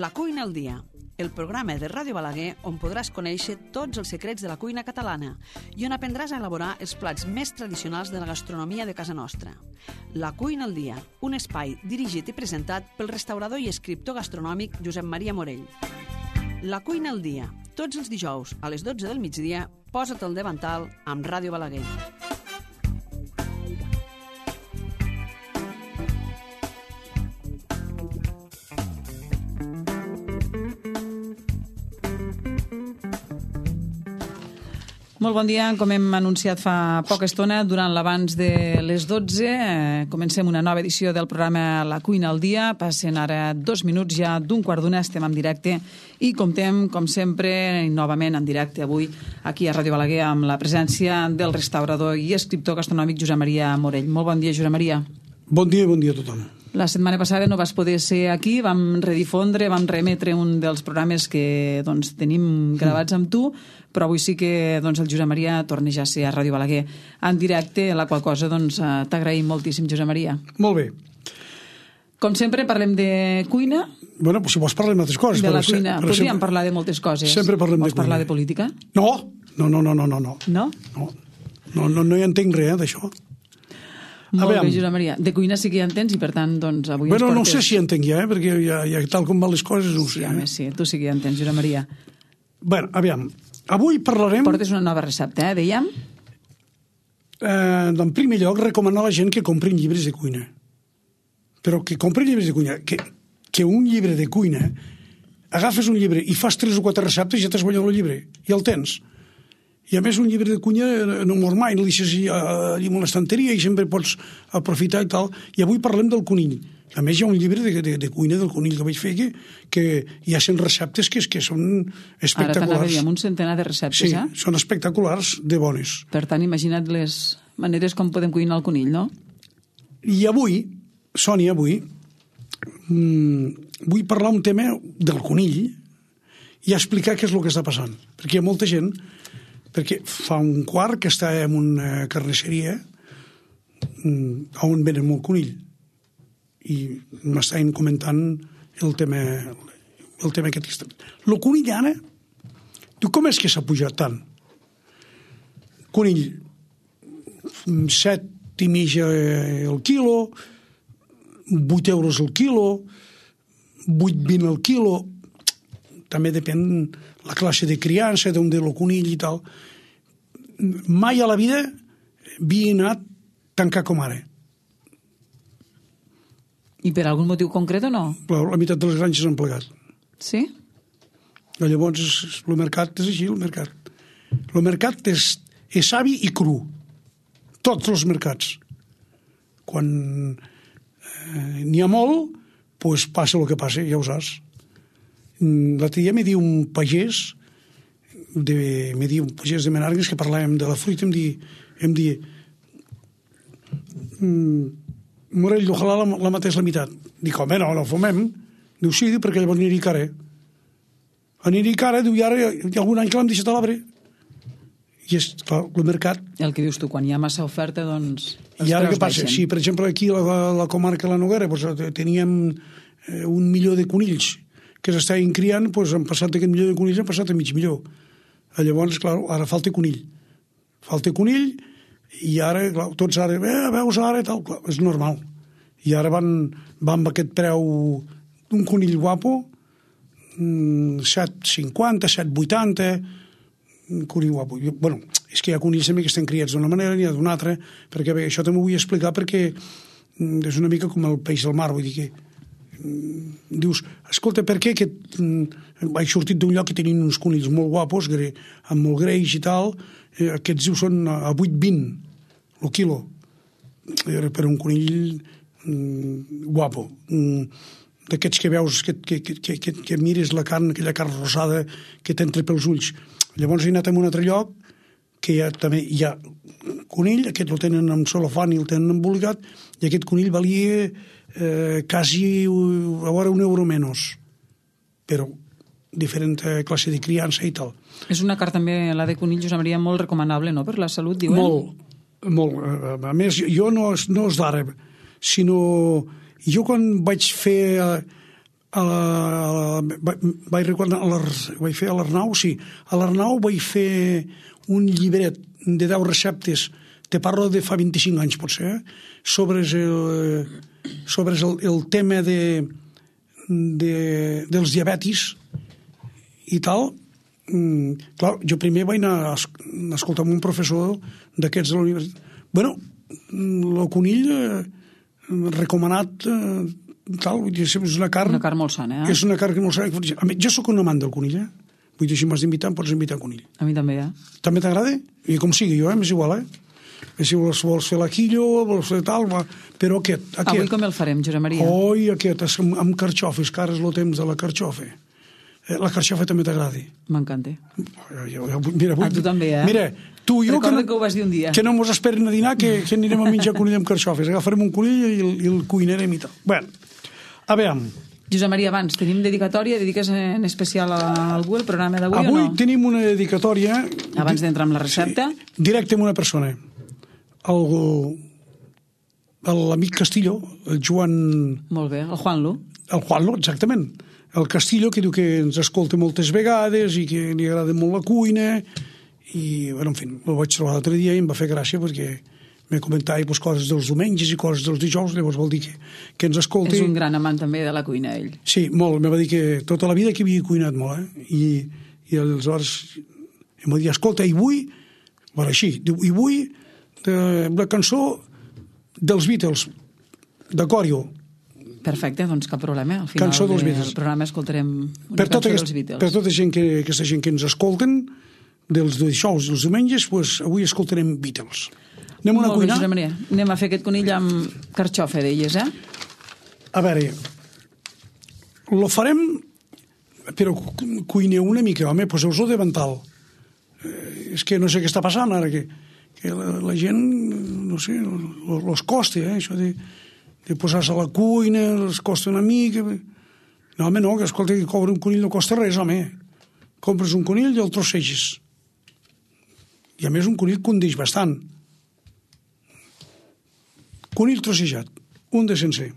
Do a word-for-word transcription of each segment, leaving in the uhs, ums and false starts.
La cuina al dia, el programa de Ràdio Balaguer on podràs conèixer tots els secrets de la cuina catalana i on aprendràs a elaborar els plats més tradicionals de la gastronomia de casa nostra. La cuina al dia, un espai dirigit i presentat pel restaurador i escriptor gastronòmic Josep Maria Morell. La cuina al dia, tots els dijous a les dotze del migdia, posa't al davantal amb Ràdio Balaguer. Molt bon dia. Com hem anunciat fa poca estona, durant l'abans de les dotze, eh, comencem una nova edició del programa La cuina al dia. Passen ara dos minuts ja d'un quart d'una, estem en directe i comptem, com sempre, novament en directe avui aquí a Ràdio Balaguer amb la presència del restaurador i escriptor gastronòmic Josep Maria Morell. Molt bon dia, Josep Maria. Bon dia i bon dia a tothom. La setmana passada no vas poder ser aquí, vam redifondre, vam remetre un dels programes que doncs, tenim gravats amb tu, però avui sí que doncs, el Josep Maria torna ja a ser a Ràdio Balaguer en directe, la qual cosa doncs, t'agraïm moltíssim, Josep Maria. Molt bé. Com sempre, parlem de cuina. Bueno, pues si vols parlar de moltes coses. De la cuina. Però Podríem sempre, parlar de moltes coses. Sempre parlem vols de cuina. parlar de política? No, no, no, no, no. No? No? No, no, no, no hi entenc res, eh, d'això. Molt Aviam. bé, Josep Maria. De cuina sí que hi entens i, per tant, doncs, avui Bueno, ens no portes... sé si entenc ja, eh, perquè ja, ja tal com van les coses, no ho sé. Sí, home, sí, tu sí que hi entens, Josep Maria. Bueno, aviam, avui parlarem... Portes una nova recepta, eh, dèiem? Eh, en primer lloc, recomanar a la gent que comprin llibres de cuina. Però que comprin llibres de cuina, que, que un llibre de cuina, agafes un llibre i fas tres o quatre receptes i ja t'has guanyat el llibre, i el tens. I a més un llibre de cuina no mor mai, no deixes allà en l'estanteria i sempre pots aprofitar i tal. I avui parlem del conill. A més hi ha un llibre de, de, de cuina del conill que vaig fer que, que hi ha cent receptes que, que són espectaculars. Ara t'anava a dir, amb un centenar de receptes, sí, eh? són espectaculars de bones. Per tant, imagina't les maneres com podem cuinar el conill, no? I avui, Sònia, avui, mmm, vull parlar un tema del conill i explicar què és el que està passant. Perquè hi ha molta gent, perquè fa un quart que està en una carnisseria mmm, on venen molt conill. I m'estaven comentant el tema, el tema aquest. El conill ara, diu, com és que s'ha pujat tant? Conill, set i mitja el quilo, vuit euros el quilo, vuit vint el quilo, també depèn la classe de criança, d'on de lo conill i tal. Mai a la vida havia anat tan car com ara. I per algun motiu concret o no? La meitat de les granges han plegat. Sí? I llavors el mercat és així, el mercat. El mercat és, és savi i cru. Tots els mercats. Quan eh, n'hi ha molt, pues passa el que passa, ja ho saps. L'altre dia m'he dit un pagès, de, m'he dit un pagès de Menàrguens que parlàvem de la fruita, em di, em di Morell, ojalà la, la matés la meitat. Dic, home, no, no fumem. Diu, sí, perquè llavors aniria cara. Aniria cara, diu, i ara hi ha algun any que l'hem deixat a l'arbre. I és, clar, el mercat... El que dius tu, quan hi ha massa oferta, doncs... I ara què passa? Si, per exemple, aquí a la, la comarca de la Noguera doncs, teníem eh, un milió de conills que s'estaven criant, doncs han passat aquest milió de conills, han passat a mig milió. Llavors, clar, ara falta conill. Falta conill i ara, clar, tots ara, eh, veus ara, tal, clar, és normal. I ara van, van amb aquest preu d'un conill guapo, set cinquanta, set vuitanta, un conill guapo. Bueno, és que hi ha conills també que estan criats d'una manera, n'hi ha d'una altra, perquè bé, això també ho vull explicar perquè és una mica com el peix del mar, vull dir que dius, escolta, per què aquest, vaig sortit d'un lloc que tenien uns conills molt guapos, amb molt greix i tal, eh, aquests dius són a vuit vint el quilo, per un conill mm, guapo, mm, d'aquests que veus, que, que, que, que, que mires la carn, aquella carn rosada que t'entra pels ulls. Llavors he anat a un altre lloc que hi ha, també hi ha conill, aquest el tenen amb celofan i el tenen embolicat, i aquest conill valia eh, quasi a veure un euro menys, però diferent classe de criança i tal. És una carn també, la de conill, Josep Maria, molt recomanable, no?, per la salut, diuen? Molt, molt. A més, jo no, no és d'ara, sinó jo quan vaig fer a la, a la, vaig recordar, a l'Ar- vaig fer a l'Arnau, sí, a l'Arnau vaig fer un llibret de deu receptes, te parlo de fa vint-i-cinc anys potser, eh? sobre, el, sobre el, el tema de, de, dels diabetis i tal. Mm, clar, jo primer vaig anar a escoltar un professor d'aquests de la universitat. Bueno, el conill eh, recomanat eh, tal, vull dir, és una carn... Una carn molt sana, eh? És una carn molt sana. A mi, jo sóc un amant del conill, eh? Vull dir, si m'has d'invitar, em pots invitar a conill. A mi també, eh? També t'agrada? I com sigui, jo, eh? M'és igual, eh? I si vols, vols fer l'aquillo, vols fer tal, va. Però aquest, aquest... Avui com el farem, Josep Maria? Oi, aquest, amb, amb carxofes, que ara és el temps de la carxofa. Eh, la carxofa també t'agrada? M'encanta. Jo, jo, mira, avui, A tu també, eh? Mira, tu i jo... Recorda que, que ho vas dir un dia. Que no mos esperin a dinar, que, que anirem a menjar conill amb carxofes. Agafarem un conill i el, i el cuinarem i tal. Bé, a veure... Josep Maria, abans, tenim dedicatòria? Dediques en especial a algú el programa d'avui o no? Avui tenim una dedicatòria... Abans d'entrar amb la recepta? Sí, directe amb una persona. L'amic Castillo, el Joan... Molt bé, el Juanlo. El Juanlo, exactament. El Castillo, que diu que ens escolta moltes vegades i que li agrada molt la cuina. I, bueno, en fi, el vaig trobar l'altre dia i em va fer gràcia perquè me comentava pues, coses dels diumenges i coses dels dijous, llavors vol dir que, que ens escolti. És un gran amant també de la cuina, ell. Sí, molt. Me va dir que tota la vida que havia cuinat molt, eh? I, i aleshores em va dir, escolta, i vull, bueno, així, diu, i vull de, la cançó dels Beatles, de Corio. Perfecte, doncs cap problema. Al final Cançó dels del Beatles. programa escoltarem una Per tota, cançó aquest, dels Beatles. per tota gent que, aquesta gent que ens escolten, dels dijous i els diumenges, pues, avui escoltarem Beatles. Anem a Molt bé, cuinar? Josep Maria. Anem a fer aquest conill amb carxofa, deies, eh? A veure, lo farem, però cuineu una mica, home, poseu-vos de vental. Eh, és que no sé què està passant ara, que, que la, la gent, no sé, los costa, eh, això de, de posar-se a la cuina, els costa una mica. No, home, no, que escolta, que cobre un conill no costa res, home. Compres un conill i el trosseges. I a més un conill condeix bastant. Conill trossejat, un de sencer.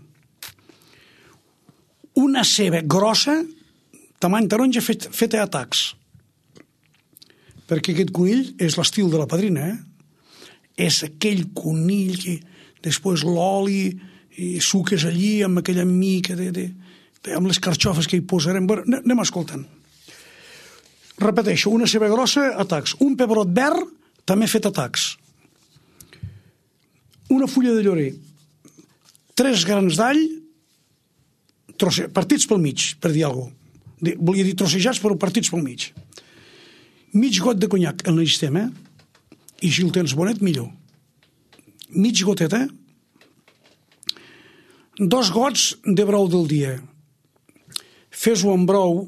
Una ceba grossa, tamany taronja, fet, feta a tacs. Perquè aquest conill és l'estil de la padrina, eh? És aquell conill que després l'oli i suques allí amb aquella mica de, de, de, amb les carxofes que hi posarem. Bueno, anem escoltant. Repeteixo, una ceba grossa a tacs. Un pebrot verd, també fet a tacs. Una fulla de llorer, tres grans d'all, trosse, partits pel mig, per dir alguna cosa. Volia dir trossejats, però partits pel mig. Mig got de conyac en l'estem, eh? I si el tens bonet, millor. Mig goteta. Dos gots de brou del dia. Fes-ho amb brou,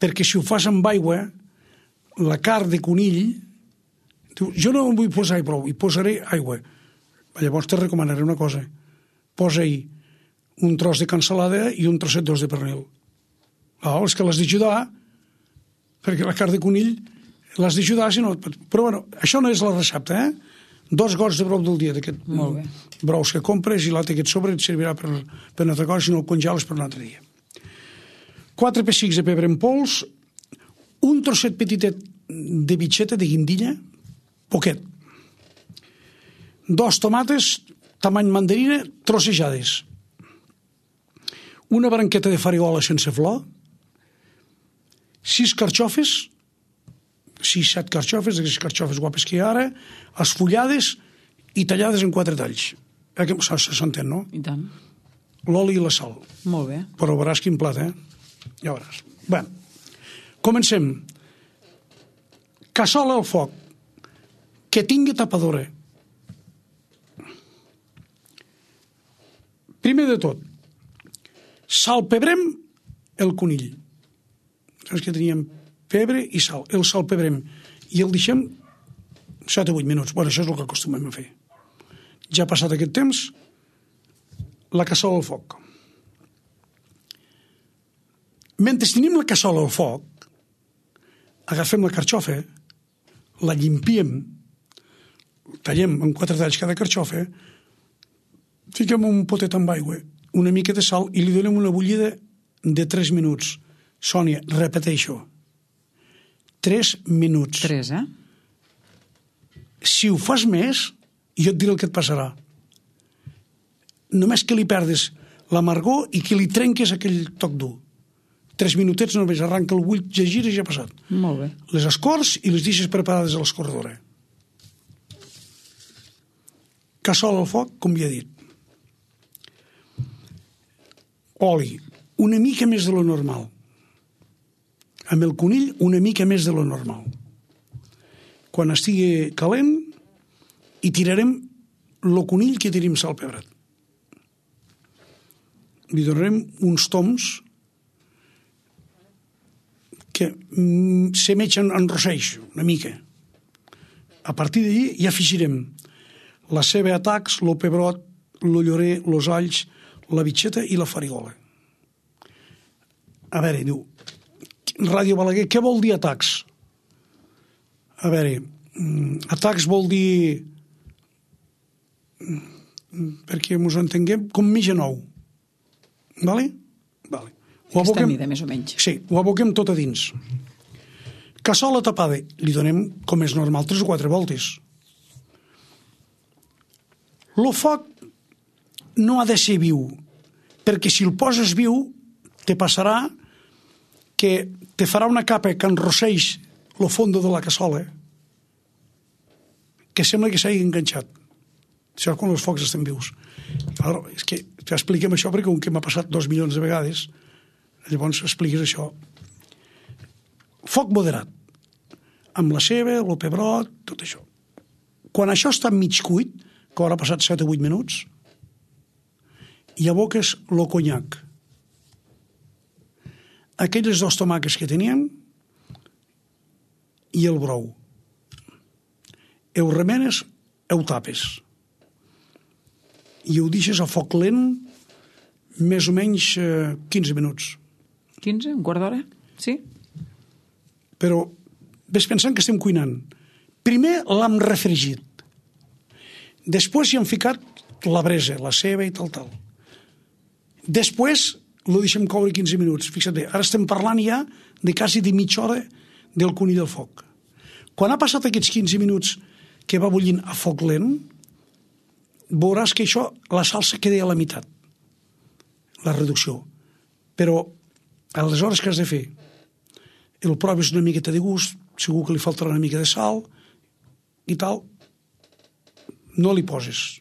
perquè si ho fas amb aigua, la carn de conill... Jo no vull posar brou, hi posaré aigua. Llavors te recomanaré una cosa. Posa-hi un tros de cansalada i un trosset d'os de pernil. Ah, és que l'has d'ajudar, perquè la carn de conill l'has d'ajudar, si no... Però bueno, això no és la recepta, eh? Dos gots de brou del dia, d'aquest brous que compres, i l'altre que et sobre et servirà per, per una altra cosa, si no el congeles per un altre dia. Quatre pessics de pebre en pols, un trosset petitet de bitxeta, de guindilla, poquet. Dos tomates, tamany mandarina, trossejades. Una branqueta de farigola sense flor, sis carxofes, sis, set carxofes, aquestes carxofes guapes que hi ha ara, esfullades i tallades en quatre talls. S'entén, no? I tant. L'oli i la sal. Molt bé. Però veuràs quin plat, eh? Ja veuràs. Bé, comencem. Cassola al foc, que tingui tapadora. Primer de tot, salpebrem el conill. Saps que teníem pebre i sal. El salpebrem i el deixem set o vuit minuts. Bueno, això és el que acostumem a fer. Ja ha passat aquest temps, la cassola al foc. Mentre tenim la cassola al foc, agafem la carxofa, la llimpiem, tallem en quatre talls cada carxofa, fiquem un potet amb aigua, una mica de sal i li donem una bullida de tres minuts. Sònia, repeteixo. tres minuts. Tres, eh? Si ho fas més, jo et diré el que et passarà. Només que li perdes l'amargor i que li trenques aquell toc dur. Tres minutets només arranca el bull, ja gira i ja ha passat. Molt bé. Les escorts i les deixes preparades a l'escorredora. Cassola al foc, com ja he dit. Oli, una mica més de lo normal. Amb el conill, una mica més de lo normal. Quan estigui calent, hi tirarem el conill que tenim sal pebrat. Li donarem uns toms que mm, s'emetgen en rosseix, una mica. A partir d'allí ja afegirem la ceba a tacs, el pebrot, el llorer, els alls, la bitxeta i la farigola. A veure, diu, Ràdio Balaguer, què vol dir atacs? A veure, atacs vol dir, perquè ens entenguem, com mitja nou. Vale? Vale. Ho Aquesta aboquem, mida, més o menys. sí, ho aboquem tot a dins. Cassola tapada, li donem, com és normal, tres o quatre voltes. El foc no ha de ser viu, perquè si el poses viu, te passarà que te farà una capa que enrosseix el fondo de la cassola, que sembla que s'hagi enganxat. Això quan els focs estan vius. Ara, és que t'expliquem això perquè com que m'ha passat dos milions de vegades, llavors expliques això. Foc moderat, amb la ceba, el pebrot, tot això. Quan això està mig cuit, que haurà passat set o vuit minuts, i aboques el conyac. Aquelles dos tomàquets que teníem i el brou. Ho remenes, ho tapes. I ho deixes a foc lent més o menys eh, quinze minuts. quinze, un quart d'hora? Sí? Però ves pensant que estem cuinant. Primer l'hem refregit. Després hi hem ficat la bresa, la ceba i tal, tal. Després lo deixem coure quinze minuts. Fixa't bé, ara estem parlant ja de quasi de mitja hora del conill al foc. Quan ha passat aquests quinze minuts que va bullint a foc lent, veuràs que això, la salsa queda a la meitat, la reducció. Però aleshores què has de fer? El proves una miqueta de gust, segur que li faltarà una mica de sal i tal, no li poses.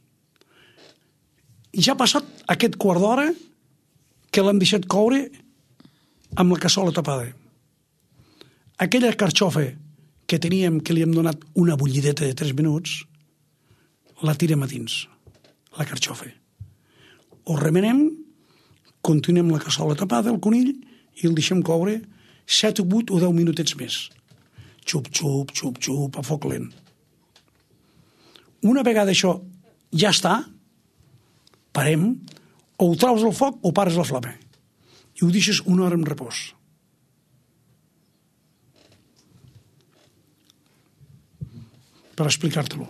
I ja ha passat aquest quart d'hora que l'hem deixat coure amb la cassola tapada. Aquella carxofa que teníem, que li hem donat una bullideta de tres minuts, la tirem a dins, la carxofa. Ho remenem, continuem la cassola tapada, el conill, i el deixem coure set o vuit o deu minutets més. Xup, xup, xup, xup, a foc lent. Una vegada això ja està, parem, o ho traus al foc o pares la flama. I ho deixes una hora en repòs. Per explicar-te-lo.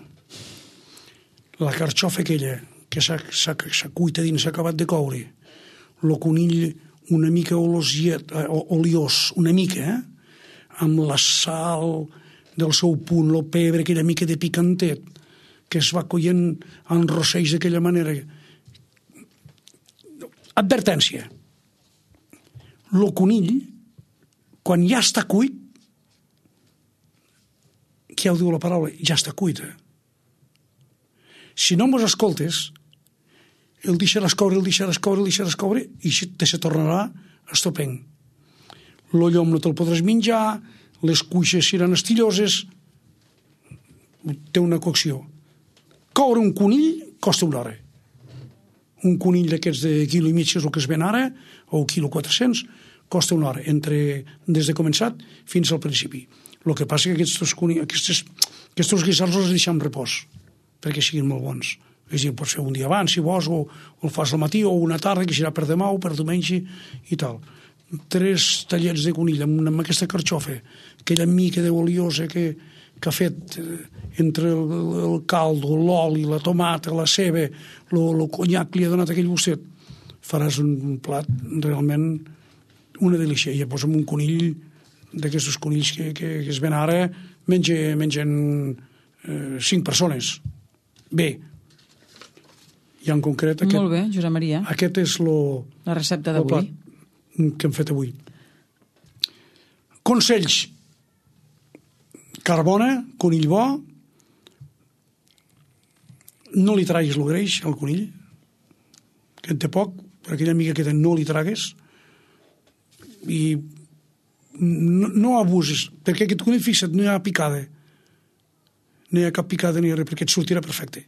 La carxofa aquella que s'ha cuit a dins, s'ha acabat de coure, el conill una mica olosiet, oliós, una mica, eh? Amb la sal del seu punt, el pebre, aquella mica de picantet, que es va coient en rosseix d'aquella manera. Advertència. El conill, quan ja està cuit, què ho diu la paraula? Ja està cuit. Eh? Si no mos escoltes, el deixaràs coure, el deixaràs coure, el deixaràs coure, i te se tornarà estupend. El llom no te'l podràs menjar, les cuixes seran estilloses, té una cocció. Coure un conill costa una hora. Un conill d'aquests de quilo i mig, és el que es ven ara, o quilo quatre-cents, costa una hora, entre, des de començat fins al principi. El que passa que aquests, aquests, aquests guisats els deixem en repòs, perquè siguin molt bons. És a dir, pots fer un dia abans, si vols, o, o el fas al matí, o una tarda, que serà per demà o per diumenge, i tal. Tres tallets de conill amb, amb aquesta carxofa, aquella mica d'oliosa que, que ha fet entre el, el caldo, l'oli, la tomata, la ceba, el conyac que li ha donat aquell gustet, faràs un plat realment una delícia. I posa'm un conill d'aquests conills que, que, que es ven ara, menja, mengen eh, cinc persones. Bé, i en concret aquest, molt bé, Josep Maria. Aquest és lo, la recepta d'avui que hem fet avui. Consells: carbona, conill bo, no li traguis el greix al conill, que en té poc, per aquella amiga que no li tragues, i no, no abusis, perquè aquest conill, fixa't, no hi ha picada, no hi ha cap picada ni res, perquè et sortirà perfecte.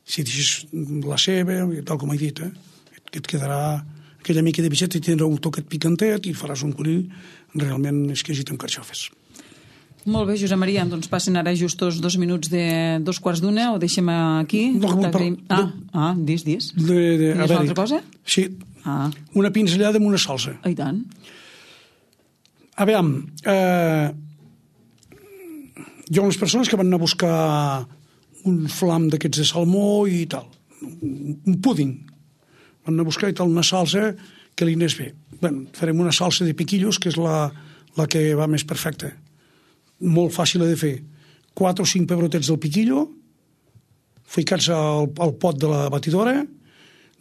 Si deixes la ceba, tal com he dit, eh? et, et quedarà aquella mica de peixet i tindrà un toquet picantet i faràs un conill realment exquisit amb carxofes. Molt bé, Josep Maria, doncs passen ara justos dos minuts de dos quarts d'una, o deixem aquí? No, per, ah, ah, dis, dis. De, de, Digues una altra cosa? Sí, ah. una pinzellada amb una salsa. Ah, i tant. A veure, eh, hi ha unes persones que van anar a buscar un flam d'aquests de salmó i tal, un púding. Van anar a buscar i tal, una salsa que li anés bé. Bé, farem una salsa de piquillos, que és la, la que va més perfecta. Molt fàcil de fer. Quatre o cinc pebrotets del piquillo, ficats al, al pot de la batidora,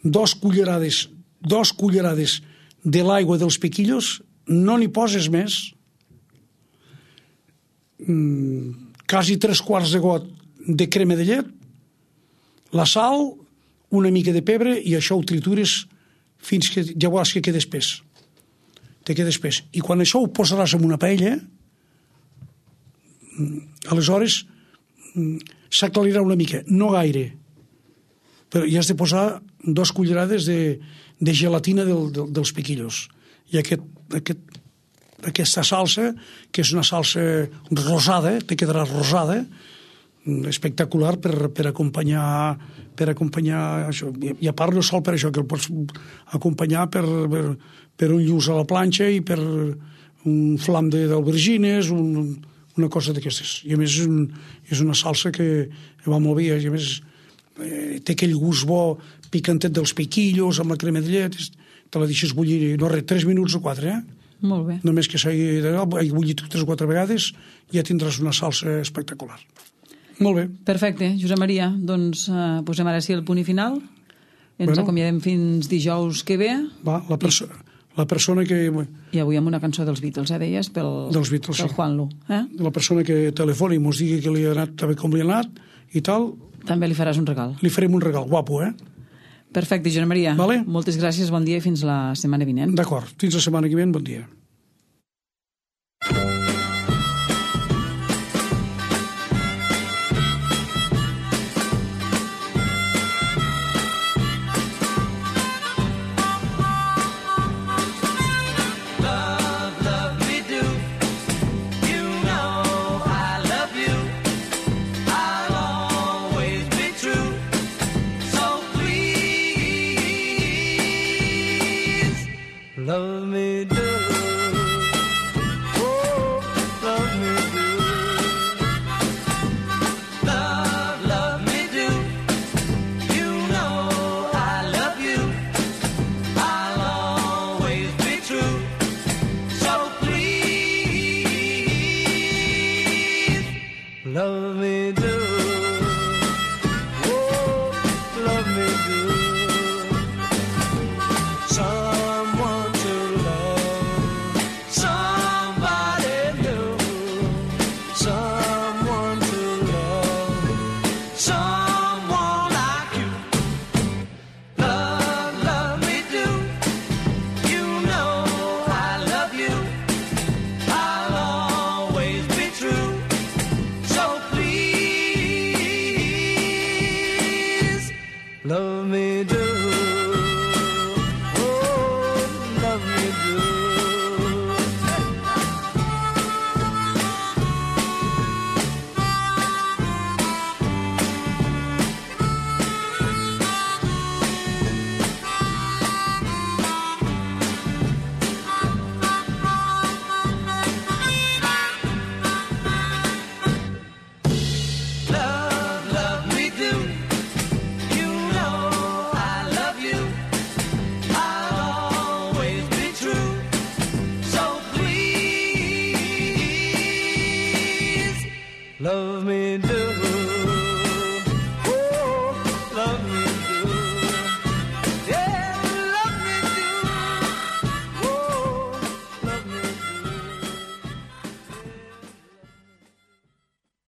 dos cullerades, dos cullerades de l'aigua dels piquillos, no n'hi poses més, mm, quasi tres quarts de got de crema de llet, la sal, una mica de pebre, i això ho tritures fins que ja veuràs que queda espès. Te queda espès. I quan això ho posaràs en una paella, aleshores s'aclarirà una mica, no gaire, però hi has de posar dos cullerades de, de gelatina del, del, dels piquillos. I aquest, aquest, aquesta salsa, que és una salsa rosada, te quedarà rosada, espectacular per, per acompanyar per acompanyar això. I a part no sol per això, que el pots acompanyar per, per, per un lluç a la planxa i per un flam d'albergines, un, una cosa d'aquestes. I a més és, un, és una salsa que va molt bé, i a més eh, té aquell gust bo picantet dels piquillos amb la crema de llet, te la deixes bullir, no res, tres minuts o quatre, eh? Molt bé. Només que s'hagi bullit tres o quatre vegades, ja tindràs una salsa espectacular. Molt bé. Perfecte, Josep Maria. Doncs uh, posem ara sí el punt i final. Ens bueno, acomiadem fins dijous que ve. Va, la, perso la persona que... I avui amb una cançó dels Beatles, eh, deies? Pel, dels Beatles, pel sí. Juanlu. Eh? La persona que telefoni i mos digui que li ha anat també com li ha anat i tal... També li faràs un regal. Li farem un regal, guapo, eh? Perfecte, Josep Maria. Vale? Moltes gràcies, bon dia i fins la setmana vinent. D'acord, fins la setmana que ve, bon dia. Love me do, oh, love me do. Love, love me do. You know I love you. I'll always be true. So please, love me do. Oh, love me do. Someone to love me do.